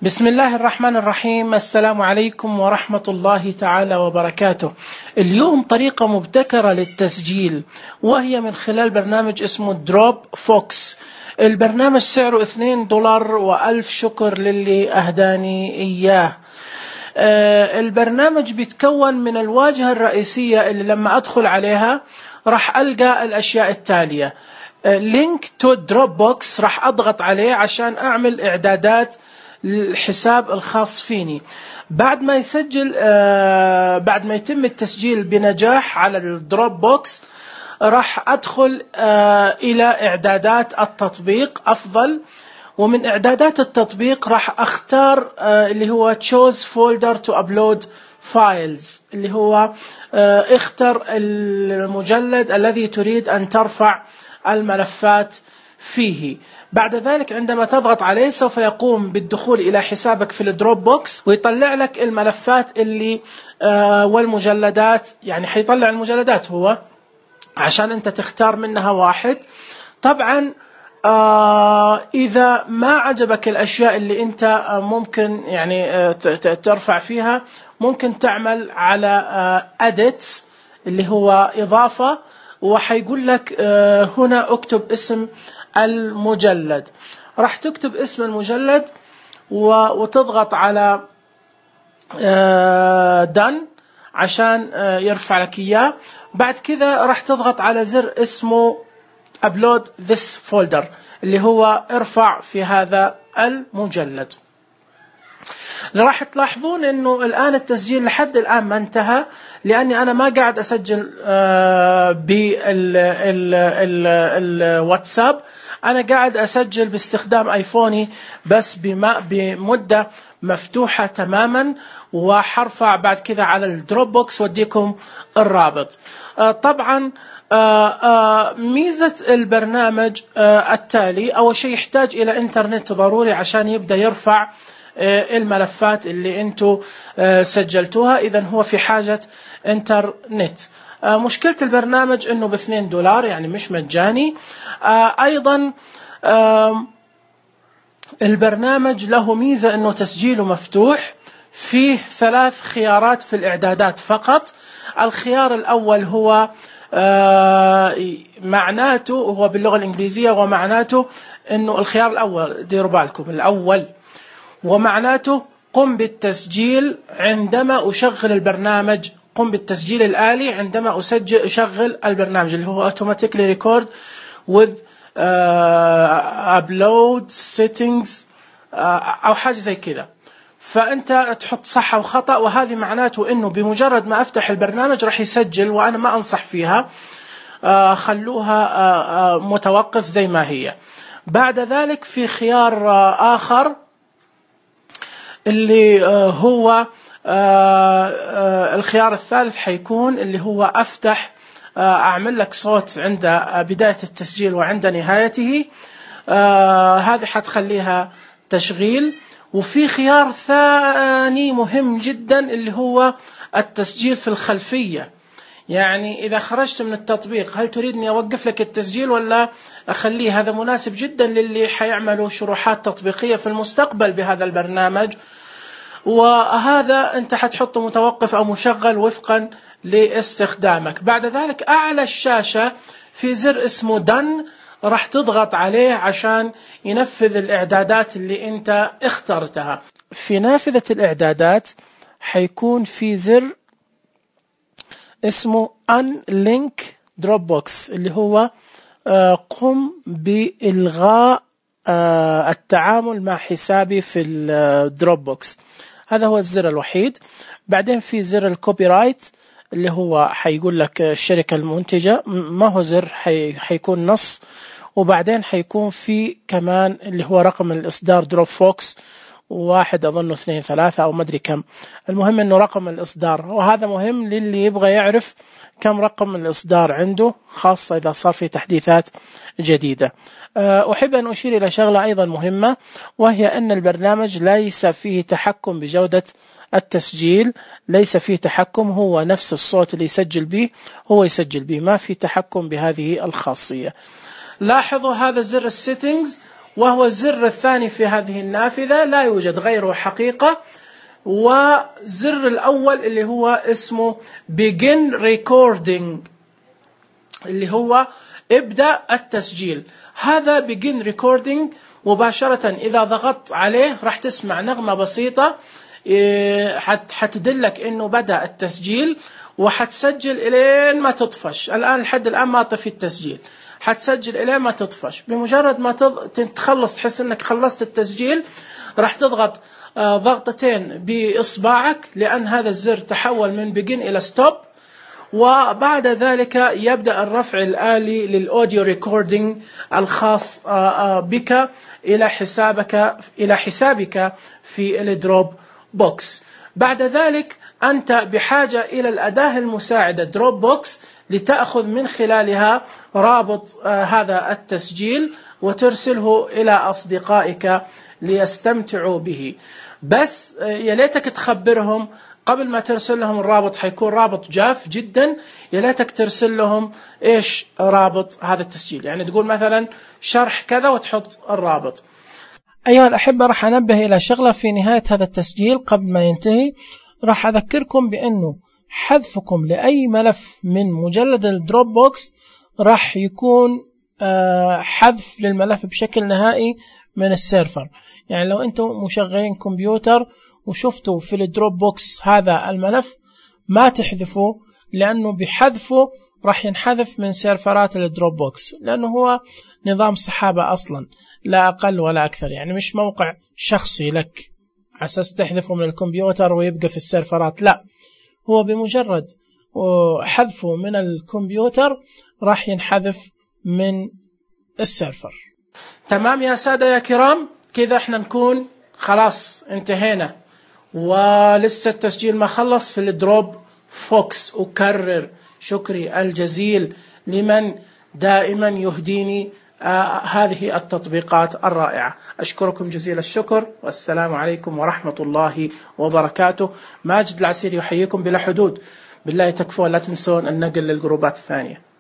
بسم الله الرحمن الرحيم. السلام عليكم ورحمة الله تعالى وبركاته. اليوم طريقة مبتكرة للتسجيل، وهي من خلال برنامج اسمه دروب فوكس. البرنامج سعره $2 وألف شكر للي أهداني إياه. البرنامج بيتكون من الواجهة الرئيسية اللي لما أدخل عليها راح ألقى الأشياء التالية: لينك تو دروب بوكس، راح أضغط عليه عشان أعمل إعدادات الحساب الخاص فيني. بعد ما يتم التسجيل بنجاح على الدروب بوكس، راح أدخل إلى إعدادات التطبيق أفضل، ومن إعدادات التطبيق راح أختار اللي هو choose folder to upload files، اللي هو اختر المجلد الذي تريد أن ترفع الملفات فيه. بعد ذلك عندما تضغط عليه سوف يقوم بالدخول إلى حسابك في الدروب بوكس، ويطلع لك الملفات اللي والمجلدات، يعني حيطلع المجلدات هو عشان أنت تختار منها واحد. طبعا إذا ما عجبك الأشياء اللي أنت ممكن يعني ترفع فيها، ممكن تعمل على edit اللي هو إضافة، وحيقول لك هنا اكتب اسم المجلد. راح تكتب اسم المجلد وتضغط على done عشان يرفع لك إياه. بعد كذا راح تضغط على زر اسمه upload this folder، اللي هو ارفع في هذا المجلد. راح تلاحظون انه الان التسجيل لحد الان ما انتهى، لاني انا ما قاعد اسجل بالواتساب، انا قاعد اسجل باستخدام ايفوني بس بمدة مفتوحة تماما، وحرفع بعد كذا على الدروب بوكس واديكم الرابط. طبعا ميزة البرنامج التالي: أول شيء يحتاج إلى إنترنت ضروري عشان يبدأ يرفع الملفات اللي انتوا سجلتوها، إذا هو في حاجة إنترنت. مشكلة البرنامج إنه $2، يعني مش مجاني. أيضا البرنامج له ميزة إنه تسجيله مفتوح، فيه 3 خيارات في الإعدادات فقط. الخيار الأول هو معناته هو باللغة الإنجليزية، ومعناته إنه الخيار الأول، ديروا بالكم، الأول ومعناته قم بالتسجيل عندما أشغل البرنامج، قم بالتسجيل الآلي عندما أشغل البرنامج، اللي هو automatically record with upload settings أو حاجة زي كذا. فأنت تحط صح أو خطأ، وهذه معناته إنه بمجرد ما أفتح البرنامج راح يسجل، وأنا ما أنصح فيها، خلوها متوقف زي ما هي. بعد ذلك في خيار آخر اللي هو الخيار الثالث حيكون اللي هو أفتح أعمل لك صوت عند بداية التسجيل وعند نهايته، هذه حتخليها تشغيل. وفي خيار ثاني مهم جدا اللي هو التسجيل في الخلفية، يعني إذا خرجت من التطبيق هل تريدني أوقف لك التسجيل ولا أخليه؟ هذا مناسب جدا للي حيعملوا شروحات تطبيقية في المستقبل بهذا البرنامج، وهذا أنت حتحطه متوقف أو مشغل وفقا لاستخدامك. بعد ذلك أعلى الشاشة في زر اسمه done، راح تضغط عليه عشان ينفذ الإعدادات اللي أنت اخترتها. في نافذة الإعدادات حيكون في زر اسمه unlink dropbox، اللي هو قم بإلغاء التعامل مع حسابي في الدروب بوكس. هذا هو الزر الوحيد. بعدين في زر الكوبي رايت، اللي هو حيقول لك الشركة المنتجة، ما هو زر، حيكون نص. وبعدين حيكون في كمان اللي هو رقم الإصدار دروب فوكس 1 أظنه 2 3 أو مدري كم، المهم أنه رقم الإصدار، وهذا مهم للي يبغى يعرف كم رقم الإصدار عنده، خاصة إذا صار في تحديثات جديدة. أحب أن أشير إلى شغلة أيضا مهمة، وهي أن البرنامج ليس فيه تحكم بجودة التسجيل، ليس فيه تحكم، هو نفس الصوت اللي يسجل به هو يسجل به، ما في تحكم بهذه الخاصية. لاحظوا هذا زر السيتنجز، وهو الزر الثاني في هذه النافذة، لا يوجد غيره حقيقة. وزر الأول اللي هو اسمه Begin Recording، اللي هو ابدأ التسجيل. هذا Begin Recording مباشرة إذا ضغطت عليه راح تسمع نغمة بسيطة حتدلك إنه بدأ التسجيل، وحتسجل إلين ما تطفش. الآن لحد الآن ما طفي التسجيل، حتسجل إلين ما تطفش. بمجرد ما تخلص، تحس إنك خلصت التسجيل، راح تضغط ضغطتين بإصبعك، لأن هذا الزر تحول من Begin إلى Stop. وبعد ذلك يبدأ الرفع الآلي للأوديو ريكوردينج الخاص بك إلى حسابك في الدروب بوكس. بعد ذلك أنت بحاجة إلى الأداة المساعدة دروب بوكس لتأخذ من خلالها رابط هذا التسجيل وترسله إلى أصدقائك ليستمتعوا به. بس يا ليتك تخبرهم قبل ما ترسل لهم الرابط، حيكون رابط جاف جدا. يا ليتك ترسل لهم ايش رابط هذا التسجيل، يعني تقول مثلا شرح كذا وتحط الرابط. أيها الأحبة، راح أنبه إلى شغلة في نهاية هذا التسجيل قبل ما ينتهي. راح أذكركم بأنه حذفكم لأي ملف من مجلد الدروب بوكس راح يكون حذف للملف بشكل نهائي من السيرفر. يعني لو أنتم مشغلين كمبيوتر وشفتوا في الدروب بوكس هذا الملف، ما تحذفوا، لأنه بحذفه راح ينحذف من سيرفرات الدروب بوكس، لأنه هو نظام سحابة أصلا لا أقل ولا أكثر. يعني مش موقع شخصي لك على أساس تحذفه من الكمبيوتر ويبقى في السيرفرات، لا، هو بمجرد حذفه من الكمبيوتر راح ينحذف من السيرفر. تمام يا سادة يا كرام، كذا احنا نكون خلاص انتهينا، ولسه التسجيل ما خلص في الدروب فوكس. أكرر شكري الجزيل لمن دائما يهديني هذه التطبيقات الرائعة. أشكركم جزيل الشكر، والسلام عليكم ورحمة الله وبركاته. ماجد العسيري يحييكم بلا حدود. بالله تكفون، لا تنسون النقل للجروبات الثانية.